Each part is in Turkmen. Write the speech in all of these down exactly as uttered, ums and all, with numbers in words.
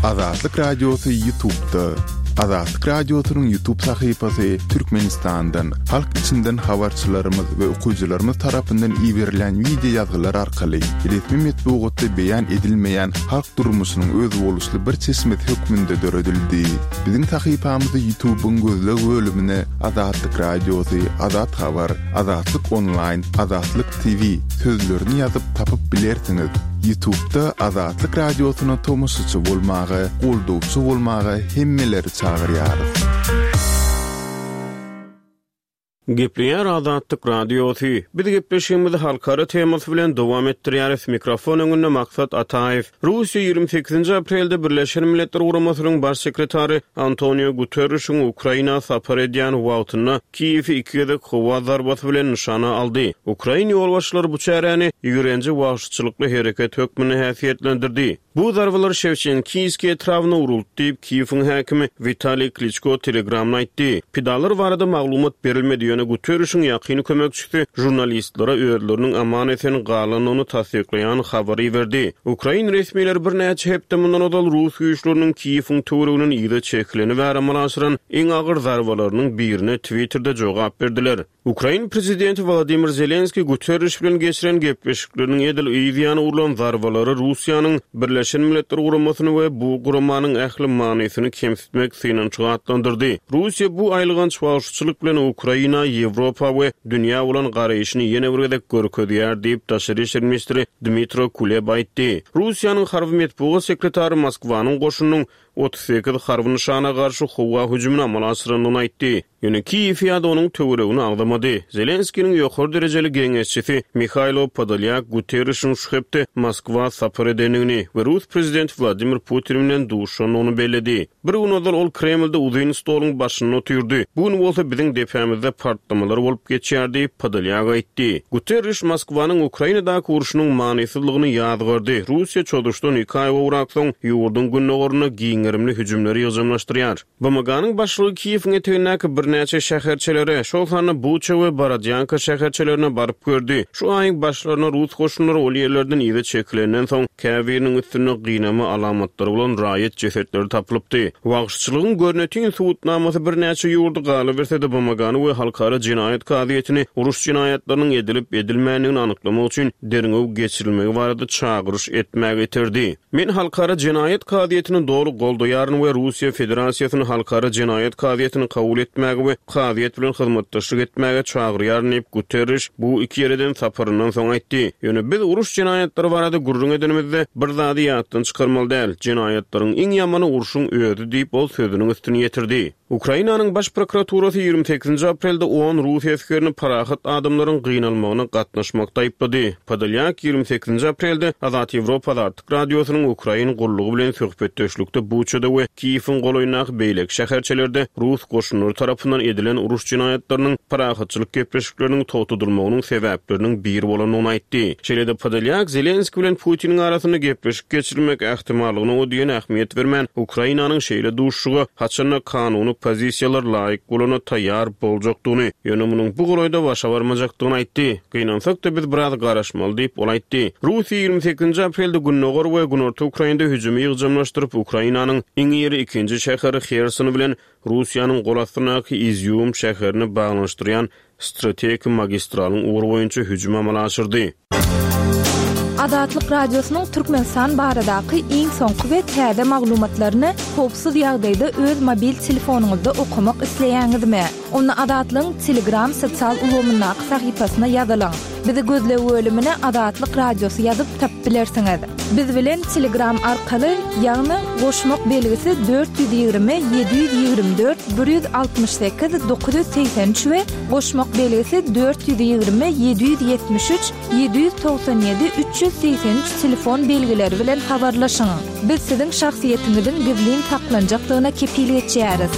Azatlyk Radiosy YouTube'da. Azatlyk Radiosynyň YouTube sahypasy Türkmenistandan, halk içinden habarçylarymyz we okyjylarymyz tarapyndan iberilen wideo ýazgylar arkaly resmi metbugatda beýan edilmeýän halk durmuşynyň özboluşly bir çeşmesi hökmünde döredildi. Biziň sahypamyzy YouTube'yň gözleg bölümine Azatlyk Radiosy, Azat Habar, Azatlyk Online, Azatlyk T V sözlerini ýazyp tapyp bilersiňiz. YouTube'da Azatlyk Radiosyna tomaşaçy bolmaga, goldawçy bolmaga hemmeleri çagyrýarys. Gepleýär Azatlyk Radiosy. Biz gepleşigimizi halkara temasy bilen dowam etdirýäris. Mikrofon öňünde Maksat Ataýew. Russiýa ýigrimi sekizinji aprelde Birleşen Milletler Guramasynyň baş sekretary Antonio Guterrişiň Ukraina sapar edýän wagtynda Kiýewi iki gezek howa zarbasy bilen nyşana aldy. Ukrain ýolbaşçylary bu çäräni ýigrenji wagşyçylykly hereket hökmünde häsiýetlendirdi. Bu zarbalar Şewçenkiýski etrabyna uruldy diýip Kiýewiň häkimi Witaliý Kliçko Telegramda aýtdy. Pidalar barada maglumat berilmedi, ýöne Guterrişiň ýakyn kömekçisi žurnalistlere özleriniň aman esen galandygyny tassyklaýan habary berdi. Ukrain resmileri birnäçe hepde mundan ozal Rus güýçleriniň Kiýewiň töwereginiň ýygy çekileni we amala aşyran iň agyr zarbalarynyň birine Twitter'de jogap berdiler. Ukrain prezidenti Wladimir Zelenskiý Guterriş bilen geçiren gepleşikleriniň edil yzýany urlan zarbalary Russiýanyň Birleşen Milletler Guramasyny we bu guramanyň ähli manysyny kemsitmek synanyşygy atlandyrdy. Russiýa bu aýylganç wagşyçylyk bilen Ukraina, Ýewropa we dünýä bolan garaýşyny ýene bir gezek görkezýär diýip daşary işler ministri Dmitro Kuleba aýtdy. Russiýanyň harby metbugat sekretary Moskwanyň goşunynyň otuz sekiz harby nyşana garşy howa hüjümini amala aşyrandygyny aýtdy. Ýöne Kiýew ýa-da onuň töweregini agzamady. Zelenskiniň ýokary derejeli geňeşçisi Mihailo Podolyak Guterrişiň şu hepde Moskwa sapar edendigini we Rus prezidenti Wladimir Putin bilen duşandygyny belledi. Bir gün ozal ol Kremlde uzyn stoluň başynda oturdy. Bu gün bolsa biziň depämizde partlamalar bolup geçýär diýip Podolyak aýtdy. Guterriş Moskwanyň Ukrainadaky urşunyň manysyzlygyny ýazgardy. Russiýa çozuşdan iki aý gowrak soň ýurduň gündogaryna giň gerimli hüjümleri ýygjamlaşdyrýar. B M G-nyň başlygy Kiýewiň etegindäki birnäçe şäherçelere, şol sanda Buça we Borodýanka şäherçelerine baryp gördi. Şu aýyň başlaryna Rus goşunlary ol ýerlerden ýygy çekilenden soň käbiriniň üstünde gynama alamatlary bolan raýat jesetleri tapylypdy. Wagşyçylygyň görnetin subutnamasy birnäçe ýurdy galyberse-de B M G-ny we Halkara jenaýat kazyýetini uruş jenaýatlarynyň edilip edilmändigini anyklamak üçin derňew geçirilmegi barada çagyryş etmäge iterdi. Men Halkara jenaýat kazyýetini doly goldaýaryn we Russiýa Federasiýasyny Halkara jenaýat kazyýetini kabul etmäge we kazyýet bilen hyzmatdaşlyk etmäge çagyrýaryn diýip Guterriş bu iki ýereden saparyndan soň aýtdy. Ýöne biz uruş jenaýatlary barada gürrüň edenimizde bir zady ýatdan çykarmaly däl. Jenaýatlaryň iň ýamany urşuň özi diýip ol sözüniň üstüni ýetirdi. Ukrainanyň baş prokuraturasy ýigrimi sekizinji aprelde on rus esgerini parahat adamlaryň gynalmagyna gatnaşmakda aýyplady. Podolyak ýigrimi sekizinji aprelde Azat Ýewropa Azatlyk Radiosynyň Ukrain gullugy bilen söhbetdeşlikde Buçada we Kiýewiň golaýyndaky beýleki şäherçelerde rus goşunlary tarapyndan edilen uruş jenaýatlarynyň parahatçylyk gepleşikleriniň togtadylmagynyň sebäpleriniň biri bolandygyny aýtdy. Şeýle-de Podolyak Zelenski bilen Putiniň arasynda gepleşik geçirmek ähtimallygyna o diýen ähmiýet bermän, Ukrainanyň şeýle duşuşyga haçanda kanuny pozisiýalar laýyk bolana taýýar boljakdygyny, ýöne munuň bu golaýda başa barmajakdygyny aýtdy. Gynansak-da biz biraz garaşmaly diýip ol aýtdy. Russiýa ýigrimi sekizinji aprelde Gündogar we Günorta Ukrainada hüjümi ýygjamlaşdyryp, Ukrainanyň iň iri ikinji şäheri Herson bilen Russiýanyň gol astyndaky Izýum şäherini baglanyşdyrýan strategik magistralyň ugry boýunça hüjüm amala aşyrdy. Azatlyk Radiosynyň Türkmenistan baradaky iň soňky we täze maglumatlaryny howpsuz ýagdaýda öz mobil telefonyňyzda okamak isleýäňizmi? Onda Azatlygyň Telegram sosial ulgamyndaky sahypasyna ýazylyň. Bizi gözleg bölümine Azatlyk Radiosy ýazyp tapyp bilersiňiz. Biz bilen Telegram arkaly, ýagny goşmak belgisi dört ýüz ýigrimi, ýedi ýüz ýigrimi dört, bir ýüz altmyş sekiz, dokuz ýüz segsen üç we goşmak belgisi dört ýüz ýigrimi, ýedi ýüz ýetmiş üç, ýedi ýüz togsan ýedi, üç ýüz segsen üç telefon belgileri bilen habarlaşyň. Biz siziň şahsyýetiňiziň gizlin saklanjakdygyna kepil geçýäris.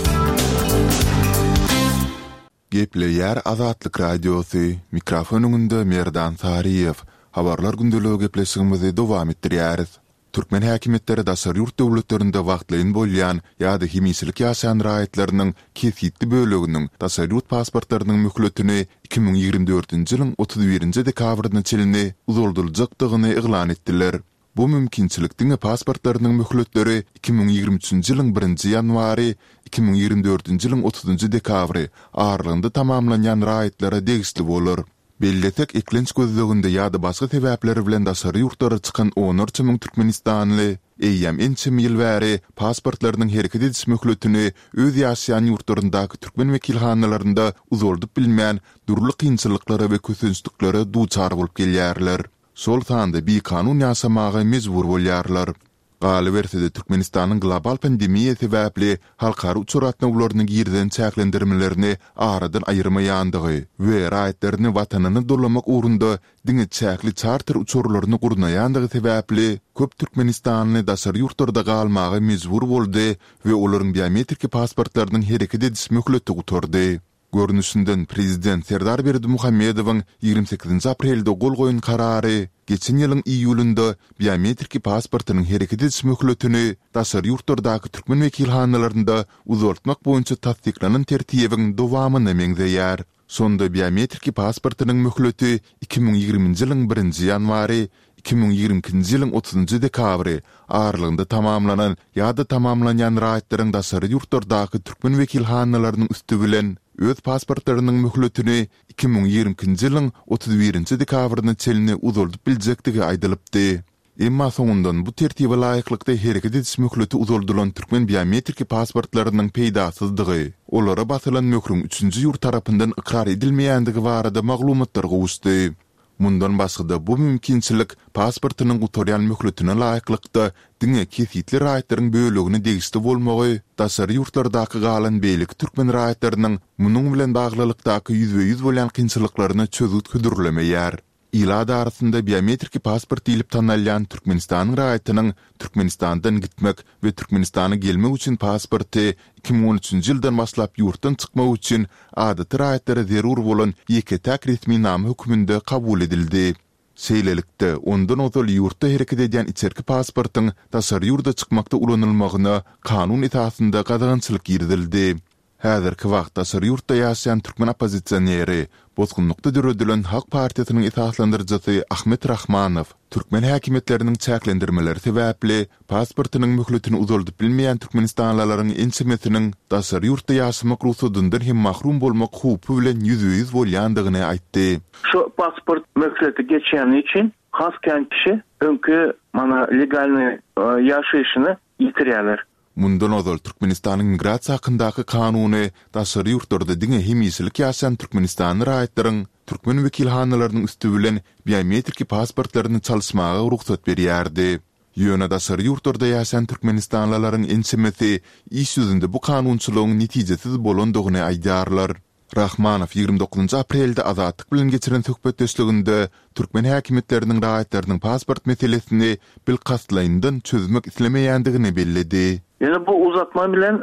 Gepleýär Azatlyk Radiosy. Mikrofon öňünde Merdan Saryýew. Habarlar gündeligi gepleşigimizi dowam etdirýäris. Türkmen häkimiýetleri daşary ýurt döwletlerinde wagtlaýyn bolýan ýa-da hemişelik ýaşaýan raýatlarynyň kesgitli böleginiň daşary ýurt pasportlarynyň möhletini iki müň ýigrimi dördünji ýylyň otuz birinji dekabryna çenli uzaldyljakdygyny yglan etdiler. Bu mümkinçilik diňe pasportlarynyň möhletleri iki müň ýigrimi üçünji ýylyň birinji ýanwary, iki müň ýigrimi dördünji ýylyň otuzynjy dekabry aralygynda tamamlanýan raýatlara degişli bolar. Bellesek, eklenç gözleginde ýa-da başga sebäpler bilen daşary ýurtlara çykan onlarça müň türkmenistanly eýýäm ençeme ýyl bäri pasportlarynyň hereket ediş möhletini öz ýaşaýan ýurtlaryndaky türkmen wekilhanalarynda uzaldyp bilmän, dürli kynçylyklara we kösençliklere duçar bolup gelýärler. Şol sanda bikanun ýaşamaga mejbur bolýarlar. Galyberse-de, Türkmenistanyň global pandemiýa sebäpli halkara uçar gatnawlaryna girizen çäklendirmelerini aradan aýyrmaýandygy we raýatlaryny Watanyna dolamak ugrunda diňe çäkli çarter uçarlaryny gurnaýandygy sebäpli köp türkmenistanly daşary ýurtlarda galmaga mejbur boldy we olaryň biometriki pasportlarynyň hereket ediş möhleti gutardy. Görnüşinden, prezident Serdar Berdimuhamedowyň ýigrimi sekizinji aprelde gol goýan karary geçen ýylyň iýulynda biometriki pasportynyň hereket ediş möhletini daşary ýurtlardaky türkmen wekilhanalarynda uzaltmak boýunça tassyklanan tertibiň dowamyna meňzeýär. Şonda biometriki pasportynyň möhleti iki müň ýigriminji ýylyň birinji ýanwary, iki müň ýigrimi ikinji ýylyň otuzynjy dekabry aralygynda tamamlanan ýa-da tamamlanýan raýatlaryň daşary ýurtlardaky türkmen wekilhanalarynyň üsti bilen öz pasportlarynyň möhletini iki müň ýigrimi ikinji ýylyň otuz birinji dekabryna çenli uzaldyp biljekdigi aýdylypdy. Emma soňundan bu tertibe laýyklykda hereket ediş möhleti uzaldylan türkmen biometriki pasportlarynyň peýdasyzdygy, olara basylan möhrüň üçünji ýurt tarapyndan ykrar edilmeýändigi barada maglumatlar gowuşdy. Mundan başga-da, bu mümkinçilik pasportynyň gutarýan möhletine laýyklykda diňe kesgitli raýatlaryň bölegine degişli bolmagy daşary ýurtlardaky galan beýleki türkmen raýatlarynyň munuň bilen baglylykdaky ýüzbe-ýüz bolýan kynçylyklaryna çözgüt hödürlemeýär. Ilat arasynda biometriki pasport diýlip tanalýan Türkmenistanyň raýatynyň Türkmenistandan gitmek we Türkmenistana gelmek üçin pasporty iki müň on üçünji ýyldan başlap ýurtdan çykmak üçin adaty raýatlara zerur bolan ýeke-täk resminama hökmünde kabul edildi. Şeýlelikde, ondan ozal ýurtda hereket edýän içerki pasportyň daşary ýurda çykmakda ulanylmagyna kanun esasynda gadagançylyk girizildi. Häzirki wagt daşary ýurtda ýaşaýan türkmen oppozisioneri, bosgunlykda döredilen Halk partiýasynyň esaslandyryjysy Ahmet Rahmanow türkmen häkimiýetleriniň çäklendirmeleri sebäpli pasportynyň möhletini uzaldyp bilmeýän türkmenistanlylaryň ençemesiniň daşary ýurtda ýaşamak rugsadyndan hem mahrum bolmak howpy bilen ýüzbe-ýüz bolýandygyny aýtdy. Şu pasport möhleti geçýäni üçin has kän kişi öňki mana legalnyý ýaşaýşyny ýitirýärler. Mundan ozal Türkmenistanyň Migrasiýa hakyndaky kanuny daşary ýurtlarda diňe hemişelik ýaşaýan türkmenistanly raýatlaryň türkmen wekilhanalarynyň üsti bilen biometriki pasportlaryny çalyşmaga rugsat berýärdi. Ýöne daşary ýurtlarda ýaşaýan türkmenistanlylaryň ençemesi iş ýüzünde bu kanunçylygyň netijesiz bolandygyny aýdýarlar. Rahmanow ýigrimi dokuzynjy aprelde Azatlyk bilen geçiren söhbetdeşliginde türkmen häkimiýetleriniň raýatlarynyň pasport meselesini bilkastlaýyndan çözmek islemeýändigini belledi. Ýöne bu uzatma bilen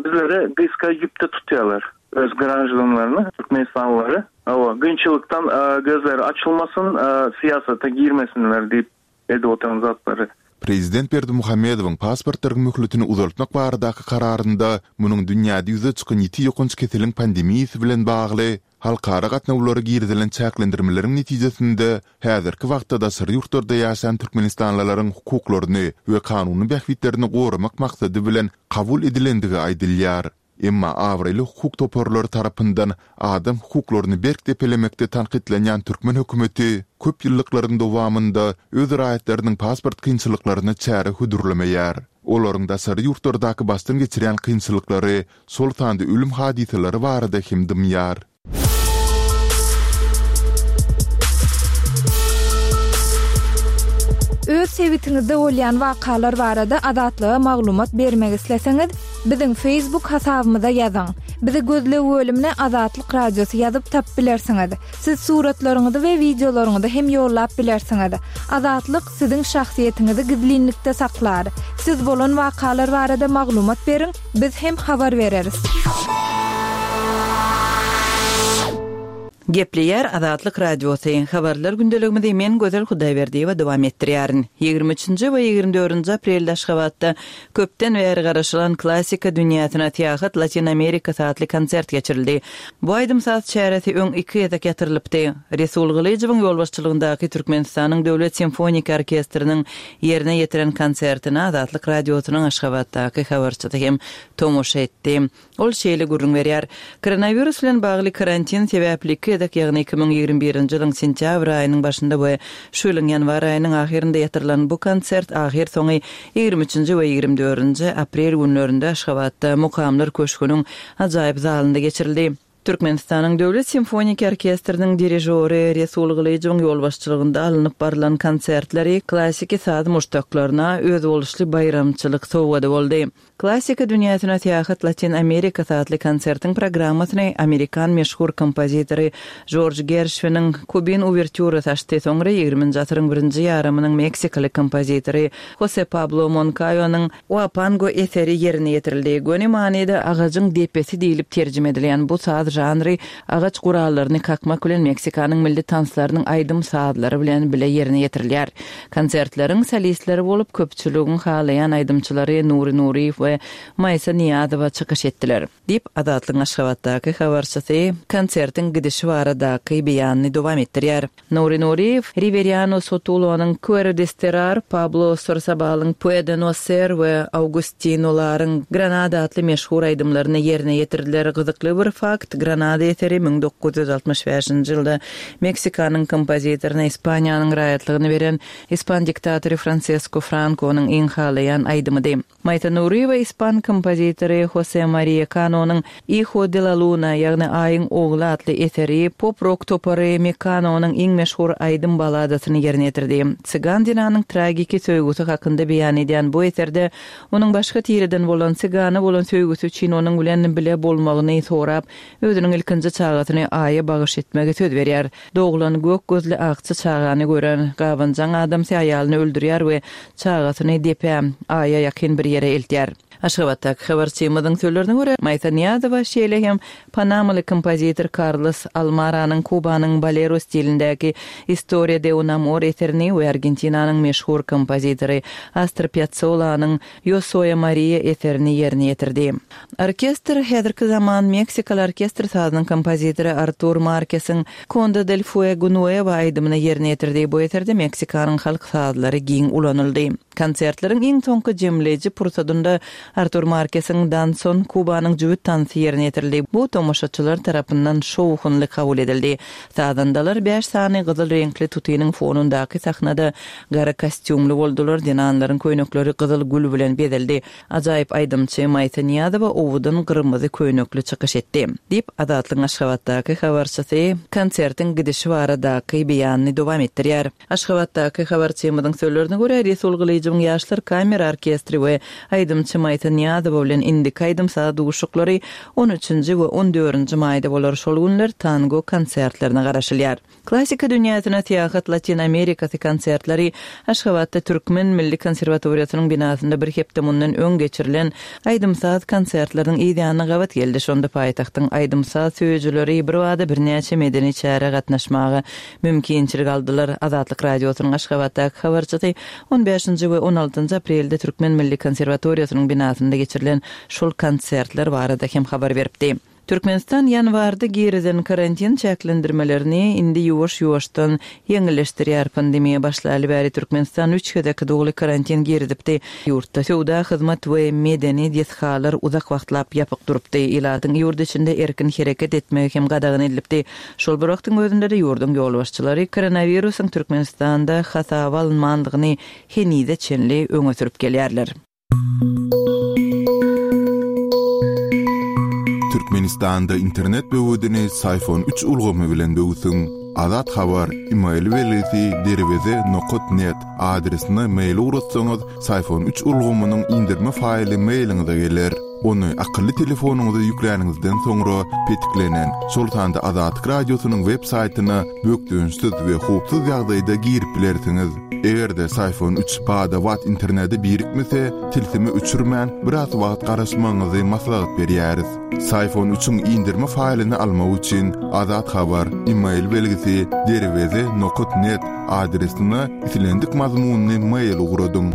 bizleri gysga ýüpde tutýarlar, öz graždanlaryny, türkmenistanlylary. Hawa, kynçylykdan gözleri açylmasyn, syýasata girmesinler diýip edip oturan zatlary. Prezident Berdimuhamedowyň pasportlaryň möhletini uzaltmak baradaky kararynda munuň dünýäde ýüze çykan ýiti ýokanç keseliň pandemiýasy bilen bagly halkara gatnawlara girizilen çäklendirmeleriň netijesinde häzirki wagtda daşary ýurtlarda ýaşaýan türkmenistanlylaryň hukuklaryny we kanuny bähbitlerini goramak maksady bilen kabul edilendigi aýdylýar. Emma abraýly hukuk toparlary tarapyndan adam hukuklaryny berk depelemekde tankytlanýan türkmen hökümeti köp ýyllyklaryň dowamynda öz raýatlarynyň pasport kynçylyklaryna çäre hödürlemeýär. Olaryň daşary ýurtlardaky başdan geçirýän kynçylyklary, şol sanda ölüm hadysalary barada hem dymýar. Öz sebitiňizde bolýan wakalar barada Azatlyga maglumat bermek isleseňiz, biziň Facebook hasabymyza ýazyň. Bizi gözleg bölümine Azatlyk Radiosy ýazyp tapyp bilersiňiz. Siz suratlaryňyzy we wideolaryňyzy hem ýollap bilersiňiz. Azatlyk siziň şahsyýetiňizi gizlinlikde saklar. Siz bolan wakalar barada maglumat beriň, biz hem habar bereris. Gepleýär Azatlyk Radiosy. Habarlar gündeligimizi men Gözel Hudaýberdiýewa dowam etdirýärin. Ýigrimi üçünji we ýigrimi dördünji aprelde Aşgabatda köpden bäri garaşylan Klassika dünýäsine syýahat Latyn Amerikasy atly konsert geçirildi. Bu aýdym-saz çäresi öň iki gezek ýatyrylypdy. Resul Gylyjowyň ýolbaşçylygyndaky Türkmenistanyň Döwlet simfoniki orkestriniň ýerine ýetiren konsertine Azatlyk Radiosynyň Aşgabatdaky habarçysy hem tomaşa etdi. Ol şeýle gürrüň berýär, Koronawirus bilen bagly karantin sebäpli iki gezek, ýagny iki müň ýigrimi birinji ýylyň sentýabr aýynyň başynda we şu ýylyň ýanwar aýynyň ahyrynda ýatyrylan bu konsert ahyrsoňy ýigrimi üçünji we ýigrimi dördünji aprel günlerinde Aşgabatda Mukamlar köşgüniň ajaýyp zalynda geçirildi. Türkmenistanyň Döwlet simfoniki orkestriniň dirižory Resul Gylyjowyň ýolbaşçylygynda alnyp barylan konsertleri klassiki saz muşdaklaryna özboluşly baýramçylyk sowgady boldy. Klassika dünýäsine syýahat Latyn Amerikasy atly konsertiň programmasyny amerikan meşhur kompozitory Jorj Gerşwiniň Kubin uwertýurasy açdy, soňra ýigriminji asyryň birinji ýarymynyň meksikaly kompozitory Hose Pablo Monkaýonyň Uapango eseri ýerine ýetirildi. Göni manyda agajyň depesi diýlip terjime edilýän bu saz žanry agaç gurallaryny kakmak bilen Meksikanyň milli tanslarynyň aýdym-sazlary bilen bile ýerine ýetirilýär. Konsertleriň solistleri bolup köpçüligiň halaýan aýdymçylary Nury Nuryýew we Maýsa Nyýazowa çykyş etdiler. Diýip, Azatlygyň Aşgabatdaky habarçysy konsertiň gidişi baradaky beýanyny dowam etdirýär. Nury Nuryýew Riweriano Sotulonyň Quero Desterrar, Pablo Sorsabalyň Puede No Ser we Augustino Laryň Granada atly meşhur aýdymlaryny ýerine ýetirdiler. Gyzykly bir fakt, Granada eseri müň dokuz ýüz altmyş bäşinji ýylda Meksikanyň kompozitoryna Ispaniýanyň raýatlygyny beren ispan diktatory Fransesko Frankonyň iň halaýan aýdymydy. Maýsa Nuryýewa ispan kompozitory Hose Mariýa Kanonyň Hijo de la Luna, ýagny Aýyň ogly atly eseri pop-rok topary Mekanonyň iň meşhur aýdym baladasyny ýerine ýetirdi. Cygan zenanyň tragiki söýgüsi hakynda beýan edýän bu eserde onuň başga tireden bolan cygana bolan söýgüsi üçin onuň bilen bile bolmagyny sorap, özüniň ilkinji çagasyny Aýa bagyş etmegi söz berýär. Doglan gök gözli akja çagany gören gabanjaň adamsy aýalyny öldürýär we çagasyny depä, Aýa ýakyn bir ýere eltýär. Aşgabatdaky habarçymyzyň sözlerine görä, Maýsa Nyýazowa şeýle hem panamaly kompozitor Karlos Almaranyň Kubanyň bolero stilindäki Historia de un amor eserini we Argentinanyň meşhur kompozitory Astor Piazzolanyň Yo soy Maria eserini ýerine ýetirdi. Orkestr häzirki zaman meksikaly orkestr sazynyň kompozitory Artur Markesiň Conde del Fuego Nuevo aýdymyny ýerine ýetirdi. Bu eserde Meksikanyň halk sazlary giň ulanyldy. Konsertleriň iň soňky jemleýji pursadynda Artur Markesiň Danson Kubanyň jübüt tansy ýerine ýetirildi. Bu tomaşaçylar tarapyndan şowhunly kabul edildi. Sazandalar bäş sany gyzyl reňkli tutynyň fonundaky sahnada gara kostýumly boldular, zenanlaryň köýnekleri gyzyl gül bilen bezeldi. Ajaýyp aýdymçy Maýsa Nyýazowa owadan gyrmyzy köýnekli çykyş etdi. Diýip, Azatlygyň Aşgabatdaky habarçysy konsertiň gidişi baradaky beýanyny dowam etdirýär. Aşgabatdaky habarçymyzyň sözlerine görä, Resul Gylyjowyň Ýaşlar kamera orkestri we aýdymçy Maýsa Nyýazowa bilen indiki aýdym-saz duşuşyklary on üçünji we on dördünji maýda bolar, şol günler tango konsertlerine garaşylýar. Klassika dünýäsine syýahat Latyn Amerikasy konsertleri Aşgabatda Türkmen milli konserwatoriýasynyň binasynda bir hepde mundan öň geçirilen aýdym-saz konsertleriniň yz ýanyna gabat geldi. Şonda paýtagtyň aýdym-saz söýüjileri birbada birnäçe medeni çärä gatnaşmaga mümkinçilik aldylar. Azatlyk Radiosynyň Aşgabatdaky habarçysy on bäşinji we on altynjy aprelde Türkmen milli konserwatoriýasynyň binasynda geçirilen şol konsertler barada hem habar beripdi. Türkmenistan ýanwarda girizen karantin çäklendirmelerini indi ýuwaş-ýuwaşdan ýeňilleşdirýär. Pandemiýa başlaly bäri Türkmenistan üç gezek doly karantin girizipdi. Ýurtda söwda, hyzmat we medeni desgalar uzak wagtlap ýapyk durupdy. Ilatyň ýurt içinde erkin hereket etmegi hem gadagan edilipdi. Şol bir wagtyň özünde-de ýurduň ýolbaşçylary koronawirusyň Türkmenistanda hasaba alynmandygyny henize çenli öňe sürüp gelýärler. Türkmenistanda internet böwedini Syfon üç ulgamy bilen böwsüň. Azat Habar, e-mail belgisi derweze nokat net adresine mail ugratsaňyz, Syfon üç ulgamynyň indirme faýly mailiňize geler. Ony akylly telefonyňyza ýükläniňizden soňra petiklenen, şol sanda Azatlyk Radiosynyň web saýtyna bökdençsiz we howpsuz ýagdaýda girip bilersiňiz. Eger-de Psiphon üç bada-bat internete birikmese, tilsimi öçürmän biraz wagt garaşmagyňyzy maslahat berýäris. Psiphon üçiň indirme faýlyny almak üçin Azat Habar e-mail belgisi derweze nokat net adresine islendik mazmunly mail ugradyň.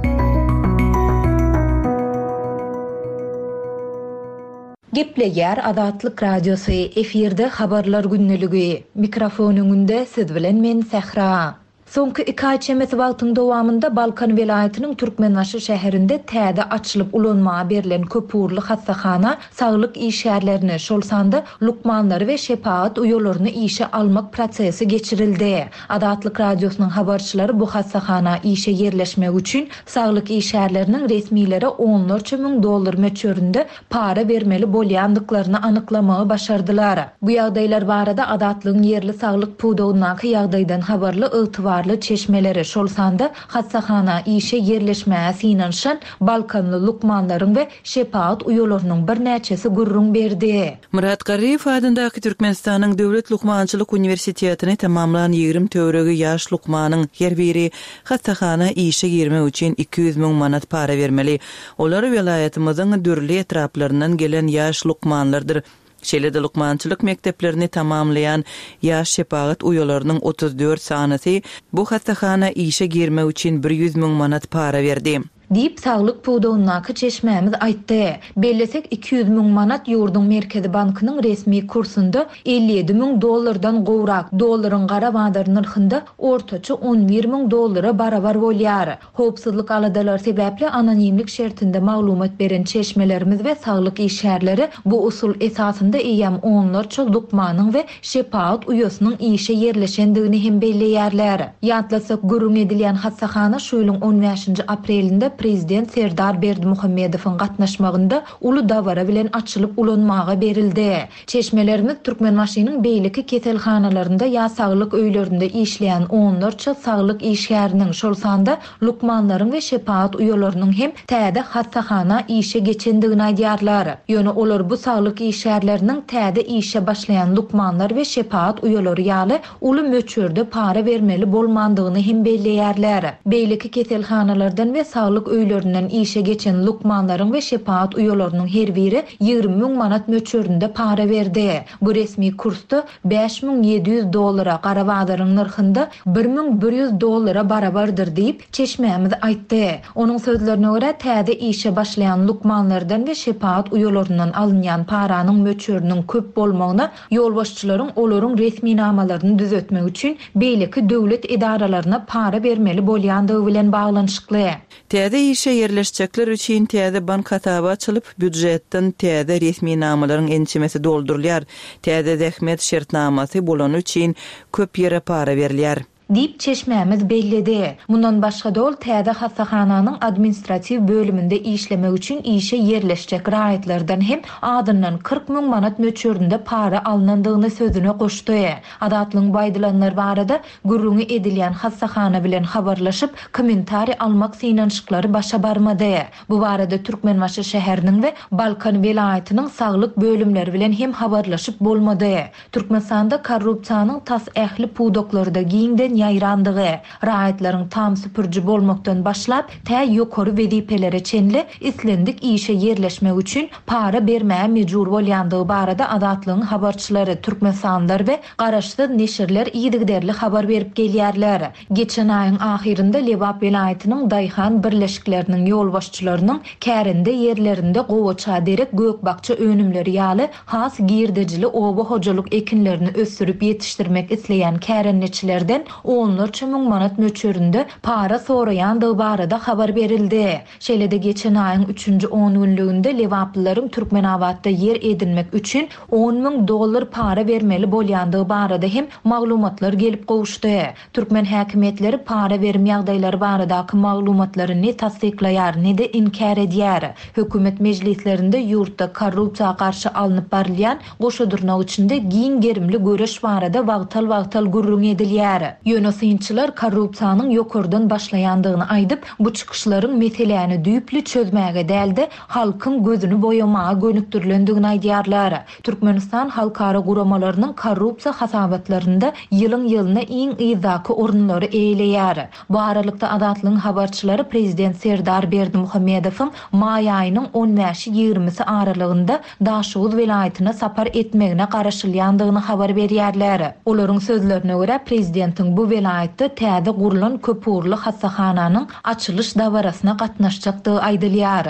Gepleýär Azatlyk Radiosy, efirde habarlar gündeligi. Mikrofon öňünde siz bilen men Sähra. Soňky iki aý çemesi wagtyň dowamynda Balkan welaýatynyň Türkmenbaşy şäherinde täze açylyp ulanmaga berlen köpugurly hassahana saglyk işgärlerini, şol sanda lukmanlary we şepagat uýalaryny işe almak prosesi geçirildi. Azatlyk Radiosynyň habarçylary bu hassahana işe ýerleşmek üçin saglyk işgärleriniň resmilere onlarça müň dollar möçberinde para bermeli bolýandyklaryny anyklamagy başardylar. Bu ýagdaýlar barada Azatlygyň ýerli saglyk pudagyndaky ýagdaýdan habarly ygtybarly çeşmeleri, şol sanda hassahana işe ýerleşmäge synanyşan Balkanly lukmanlaryň we şepagat uýalarynyň birnäçesi gürrüň berdi. Murat Garryýew adyndaky Türkmenistanyň Döwlet Lukmançylyk Uniwersitetini tamamlan ýigrimi töweregi ýaş lukmanyň her biri hassahana işe girmek üçin iki ýüz müň manat para bermeli. Olar welaýatymyzyň dürli etraplaryndan gelen ýaş lukmanlardyr. Şeýle-de lukmançylyk mekdeplerini tamamlaýan ýaş şepagat uýalarynyň otuz dört sanysy bu hassahana işe girmek üçin bir ýüz müň manat para berdi. Diýip saglyk pudagyndaky çeşmämiz aýtdy. Bellesek iki ýüz müň manat ýurduň Merkezi bankynyň resmi kursunda elli ýedi müň dollardan gowrak, dollaryň gara bazar nyrhynda ortaça on bir müň dollara barabar bolýar. Howpsuzlyk aladalar sebäpli anonimlik şertinde maglumat beren çeşmelerimiz we saglyk işgärleri bu usul esasynda eýýäm onlarça lukmanyň we şepagat uýasynyň işe ýerleşendigini hem belleýärler. Ýatlasak gürrüň edilýän hassahana şu ýylyň on bäşinji aprelinde Prezident Serdar Berdimuhamedowyň gatnaşmagynda uly dabara bilen açylyp ulanmaga berildi. Çeşmelerimiz Türkmenbaşynyň beýleki keselhanalarynda ýa saglyk öýlerinde işleýän onlarça saglyk işgäriniň, şol sanda lukmanlaryň we şepagat uýalarynyň hem täze hassahana işe geçendigini aýdýarlar. Ýöne olar bu saglyk işgärleriniň täze işe başlaýan lukmanlar we şepagat uýalary ýaly uly möçberde para bermeli bolmandygyny hem belleýärler. Beýleki keselhanalardan we saglyk öýlerinden işe geçen lukmanlaryň we şepagat uýalarynyň her biri ýigrimi müň manat möçberinde para berdi. Bu resmi kursda bäş müň ýedi ýüz dollara, gara bazaryň nyrhynda bir müň bir ýüz dollara barabardyr diýip çeşmämiz aýtdy. Onuň sözlerine görä täze işe başlaýan lukmanlardan we şepagat uýalaryndan alynýan paranyň möçberiniň köp bolmagyna ýolbaşçylaryň olaryň resminamalaryny düzetmek üçin beýleki döwlet edaralaryna para bermeli bolýandygy bilen baglanyşykly. Täze işe ýerleşjekler üçin täze bank hasaby açylyp, býujetden täze resminamalaryň ençemesi doldurylýar. Täze zähmet şertnamasy bolany üçin köp ýere para berilýär. Diýip çeşmämiz belledi. Mundan başga da ol täze hassahananyň administratiw bölüminde işlemek üçin işe ýerleşjek raýatlardan hem adyndan kyrk müň manat möçberinde para alynandygyny sözüne goşdy. Azatlygyň bu aýdylanlar barada gürrüňi edilýän hassahana bilen habarlaşyp, kommentariý almak synanyşyklary başa barmady. Bu barada Türkmenbaşy şäheriniň we Balkan welaýatynyň saglyk bölümleri bilen hem habarlaşyp bolmady. Türkmenistanda korrupsiýanyň tas ähli pudaklarda giňden ýaýrandygy, raýatlaryň tam süpürji bolmakdan başlap, tä ýokary wezipelere çenli islendik işe ýerleşmek üçin para bermäge mejbur bolýandygy barada Azatlygyň habarçylary, Türkmenistanlylar we garaşsyz neşirler yzygiderli habar berip gelýärler. Geçen aýyň ahyrynda Lebap welaýatynyň Daýhan birleşikleriniň ýolbaşçylarynyň kärende ýerlerinde gowaça derek gök-bakja önümleri ýaly has girdejili oba hojalyk ekinlerini ösdürip ýetişdirmek isleýän kärendeçilerden onlarça müň manat möçberinde para soraýandygy barada habar berildi. Şeýle-de geçen aýyň üçünji on günlüginde Lebaplylaryň Türkmenabatda ýer edinmek üçin on müň dollar para bermeli bolýandygy barada hem maglumatlar gelip gowuşdy. Türkmen häkimiýetleri para berim ýagdaýlary baradaky maglumatlary ne tassyklaýar, ne de inkär edýär. Hökümet mejlislerinde ýurtda korrupsiýa garşy alnyp barylýan goşa dyrnak içinde giň gerimli göreş barada wagtal-wagtal gürrüň edilýär. Ýöne synçylar korrupsiýanyň ýokardan başlaýandygyny aýdyp, bu çykyşlaryň meseläni düýpli çözmäge däl-de, halkyň gözüni boýamaga gönükdirilendigini aýdýarlar. Türkmenistan halkara guramalarynyň korrupsiýa hasabatlarynda ýylyň-ýylyna iň yzdaky orunlary eýeleýär. Bu aralykda Azatlygyň habarçylary prezident Serdar Berdimuhamedowyň maý aýynyň on bäşi-ýigrimisi aralygynda Daşoguz welaýatyna sapar etmegine garaşylýandygyny habar berýärler. Olaryň sözlerine görä, prezidentiň bu welaýatda täze gurlan köpugurly hassahananyň açylyş dabarasyna gatnaşjakdygy aýdylýar.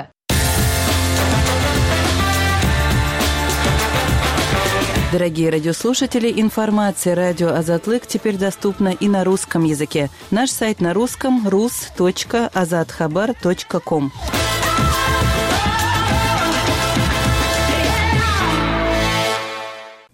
Дорогие радиослушатели, информация радио Азатлык теперь доступна и на русском языке. Наш сайт на русском рус точка азатхабар точка ком.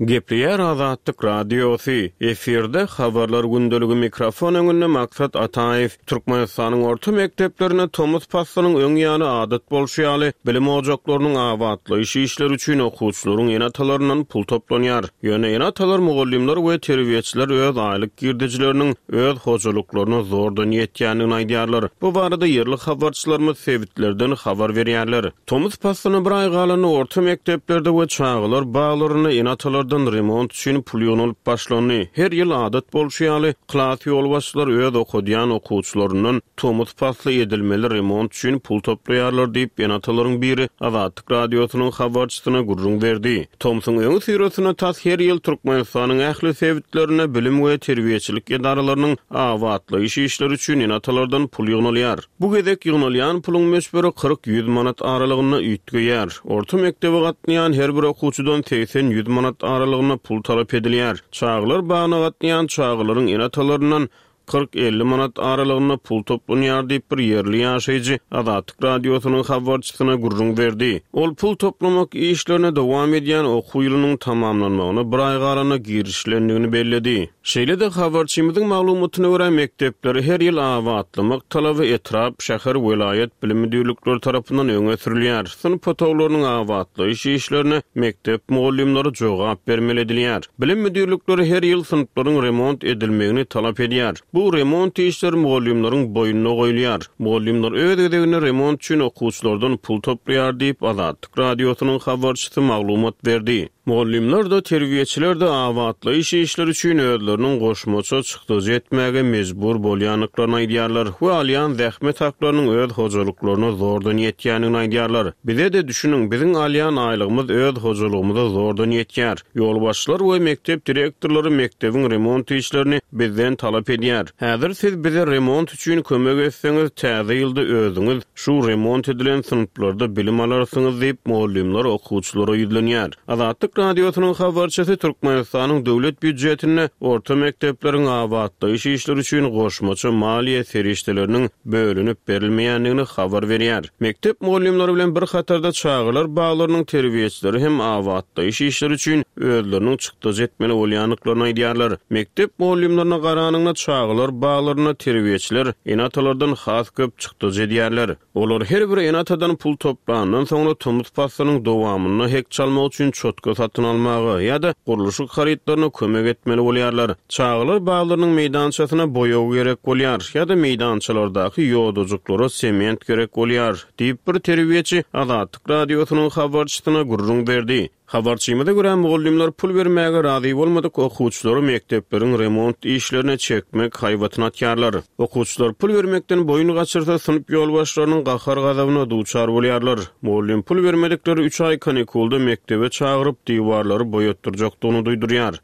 Gepleýär Azatlyk Radiosy. Efirde habarlar gündeligi mikrofon öňünde Maksat Ataýew. Türkmenistanyň orta mekdeplerine tomus paslynyň öň ýany adat bolşy ýaly bilim ojaklarynyň abatlaýyş işleri üçin okuwçylaryň ene-atalaryndan pul toplanýar. Ýöne ene-atalar, mugallymlar we terbiýeçiler öz aýlyk girdejileriniň öz hojalyklaryna zordan ýetýändigini aýdýarlar. Bu barada ýerli habarçylarymyz sebitlerden habar berýärler. Tomus paslyna bir aý galanda orta mekdeplerde we çagalar baglarynda ene-atalar remont üçin pul ýygnalyp başlandy. Her ýyl adat bolşy ýaly klas ýolbaşçylar öz okadýan okuwçylaryndan tomus pasly edilmeli remont üçin pul toplaýarlar diýip ene-atalaryň biri Azatlyk radiosynyň habarçysyna gürrüň berdi. Tomsuň öňi syrasyna tas her ýyl Türkmenistanyň ähli sebitlerinde bilim we terbiýeçilik edaralarynyň abatlaýyş işleri üçin ene-atalardan pul ýygnalýar. Bu gezek ýygnalýan puluň möçberi kyrk ýüz manat aralygynda üýtgeýär. Orta mekdebe gatnaýan her bir okuwçydan segsen ýüz manat aralygynda pul talap edilýär. Çagalar bagyna gatnaýan çagalaryň ene-atalaryndan kyrk elli manat aralygynda pul toplanýar diýip bir ýerli ýaşaýjy Azatlyk radiosynyň habarçysyna gürrüň berdi. Ol pul toplamak işlerine dowam edýän okuw ýylynyň tamamlanmagyna bir aý galanda girişilendigini belledi. Şeýle-de habarçymyzyň maglumatyna görä mekdepleri her ýyl abatlamak talaby etrap, şäher, welaýat bilim müdirlikleri tarapyndan öňe sürülýär. Synp otaglarynyň abatlaýyş işlerine mekdep mugallymlary jogap bermeli edilýär. Bilim müdirlikleri her ýyl synplaryň remont edilmegini talap edýär. Bu remont işleri mugallymlaryň boýnuna goýulýar. Mugallymlar öz gezeginde remont üçin okuwçylardan pul toplaýar diýip Azatlyk radiosynyň habarçysy maglumat berdi. Mugallymlar da terbiýeçiler de abatlaýyş işleri üçin özleriniň goşmaça çykdajy etmäge mejbur bolýandyklaryny aýdýarlar we alýan zähmet haklarynyň öz hojalyklaryna zordan ýetýändigini aýdýarlar. Bize de düşüniň, biziň alýan aýlygymyz öz hojalygymyza zordan ýetýär. Ýolbaşçylar we mekdep direktorlary mekdebiň remont işlerini bizden talap edýär. Häzir siz bize remont üçin kömek etseňiz, täze ýylda özüňiz şu remont edilen synplarda bilim alarsyňyz diýip mugallymlar okuwçylara ýüzlenýär. Azatlyk radiosynyň habarçysy Türkmenistanyň döwlet býujetinde orta mekdepleriň abatlaýyş işleri üçin goşmaça maliýe serişdeleriniň bölünip berilmeýändigini habar berýär. Mekdep mugallymlary bilen bir hatarda çagalar baglarynyň terbiýeçileri hem abatlaýyş işleri üçin özleriniň çykdajy etmeli bolýandyklaryny aýdýarlar. Mekdep mugallymlaryna garanyňda çagalar baglaryna terbiýeçiler ene-atalardan has köp çykdajy edýärler. Olar her bir ene-atadan pul toplandan soňra tomus paslynyň dowamynda hek çalmak üçin çotka satyn almaga ýa-da gurluşyk harytlaryna kömek etmeli bolýarlar. Çagalar baglarynyň meýdançasyna boýag gerek bolýar ýa-da meýdançalardaky ýodajyklara sement gerek bolýar diýip bir terbiýeçi Azatlyk radiosynyň habarçysyna gürrüň berdi. Habarçymyza görä mugallymlar pul bermäge razy bolmadyk okuwçylary mekdepleriň remont işlerine çekmek haýbatyny atýarlar. Okuwçylar pul bermekden boýun gaçyrsa synp ýolbaşçylarynyň gahar gazabyna duçar bolýarlar. Mugallym pul bermedikleri üç aý kanikulda mekdebe çagyryp diwarlary boýatdyrjakdygyny duýdurýar.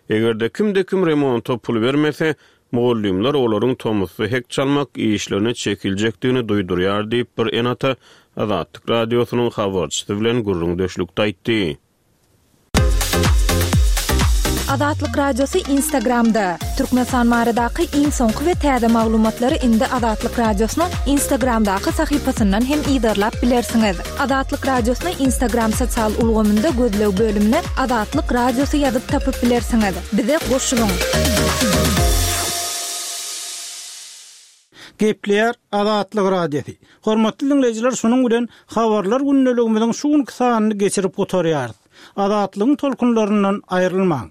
Eger-de kimde-kim remonta pul bermese, mugallymlar olaryň tomusda hek çalmak işlerine çekiljekdigini duýdurýar diýip bir ene-ata Azatlyk radiosynyň habarçysy bilen gürrüňdeşlikde aýtdy. Azatlyk Radiosy Instagramda. Türkmenistan baradaky iň soňky we täze maglumatlary indi Azatlyk Radiosynyň Instagramdaky sahypasyndan hem yzarlap bilersiňiz. Azatlyk Radiosyny Instagram sosial ulgamynda gözleg bölümine Azatlyk Radiosy ýazyp tapyp bilersiňiz. Bize goşulyň. Gepleýär Azatlyk Radiosy. Hormatly dinleýjiler, şunuň bilen habarlar gündeligimiziň şu günki sanyny geçirip gutarýarys. Azatlygyň tolkunlaryndan aýrylmaň.